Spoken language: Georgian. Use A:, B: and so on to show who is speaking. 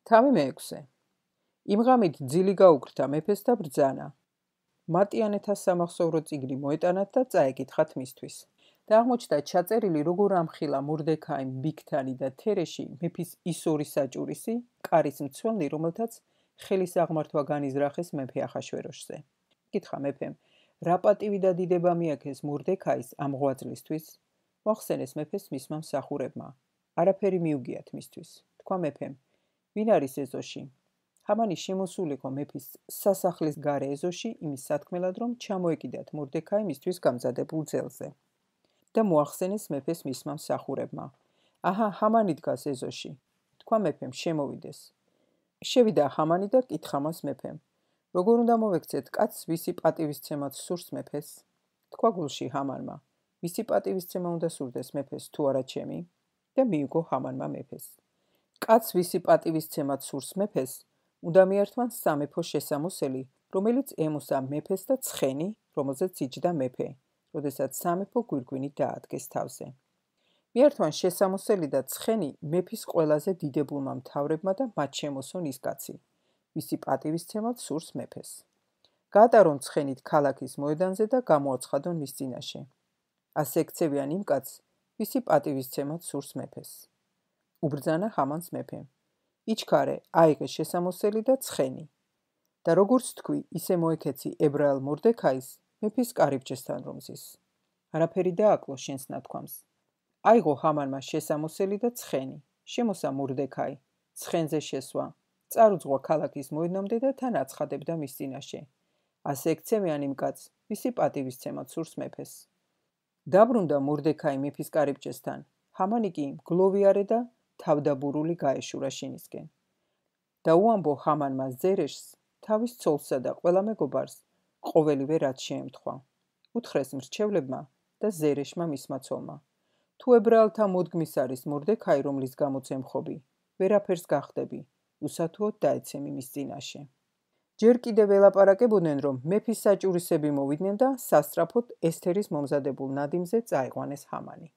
A: თავი მეექვსე. იმ ღამით ძილი გაუქრთა მეფეს და ბრძანა. მატიანეთა სამახსოვრო წიგნი მოეტანათ და წაეკითხათ მისთვის. და აღმოჩნდა ჩაწერილი, როგორ ამხილა მორდექაიმ, ბიგთანი და თერეში მეფის ის ორი საჭურისი, კარის მცველნი, რომელთაც ხელის აღმართვა განიზრახეს მეფე ახაშვეროშზე. კითხა მეფემ, რა პატივი და დიდება მიაქეს მორდექაის ამ ღვაწლისთვის? მოახსენეს მეფეს მისმა მსახურებმა. არაფერი მიუგიათ მისთვის. თქვა მეფემ, ვინ არის ეზოში? ჰამანი შემოსულიყო მეფის სასახლის გარე ეზოში იმის სათქმელად, რომ ჩამოეკიდათ მორდექაი მისთვის გამზადებულ ძელზე. და მოახსენეს მეფეს მისმა მსახურებმა. აჰა, ჰამანი დგას ეზოში. თქვა მეფემ, შემოვიდეს. შევიდა ჰამანი და კითხა მას მეფემ. როგორ უნდა მოვექცეთ კაცს, ვისი პატივისცემად სურს მეფეს? თქვა გულში ჰამანმა. ვისი პატივისცემა უნდა სურდეს მეფეს, თუ არა ჩემი? და მიუგო ჰამანმა მეფეს. კაცს, ვისი პატივისცემად სურს მეფეს, უნდა მიართვან სამეფო შესამოსელი, რომელიც ემოსა მეფეს და ცხენი, რომელზეც იჯდა მეფე, როდესაც სამეფო გვირგვინით დაადგეს თავზე. მიართვან შესამოსელი და ცხენი მეფის ყველაზე დიდებულმა მთავრებმა და მათ შემოსონ ის კაცი, ვისი პატივისცემად სურს მეფეს. გაატარონ ცხენით ქალაქის მოედანზე და გამოაცხადონ მის წინაშე. ასე ექცევიან იმ კაცს, ვისი პატივისცემად სურს მეფეს. უბრძანა ჰამანს მეფემ. იჩქარე, აიღე შესამოსელი და ცხენი. და როგორც თქვი, ისე მოექეცი ებრაელ მორდექაის მეფის კარიბჭესთან რომ ზის. არაფერი დააკლო შენს ნათქვამს. აიღო ჰამანმა შესამოსელი და ცხენი. შემოსა მორდექაი, ცხენზე შესვა, წარუძღვა ქალაქის მოედნამდე და თან აცხადებდა მის წინაშე. ასე ექცევიან იმ კაცს, ვისი პატივისცემად სურს მეფეს. დაბრუნდა მორდექაი მეფის კარიბჭესთან. ჰამანი კი მგლოვიარე და თავდაბურული გაეშურა შინისკენ. და უამბო ჰამანმა ზერეშს, თავის ცოლსა და ყველა მეგობარს, ყოველივე რაც შეემთხვა. უთხრეს მრჩევლებმა და ზერეშმა მისმა ცოლმა. თუ ებრაელთა მოდგმის არის მორდექაი, რომლის გამოც ემხობი, ვერაფერს გახდები, უსათუოდ დაეცემი მის წინაშე. ჯერ კიდევ ელაპარაკებოდნენ, რომ მეფის საჭურისები მოვიდნენ და სასწრაფოდ ესთერის მომზადებულ ნადიმზე წაიყვანეს ჰამანი.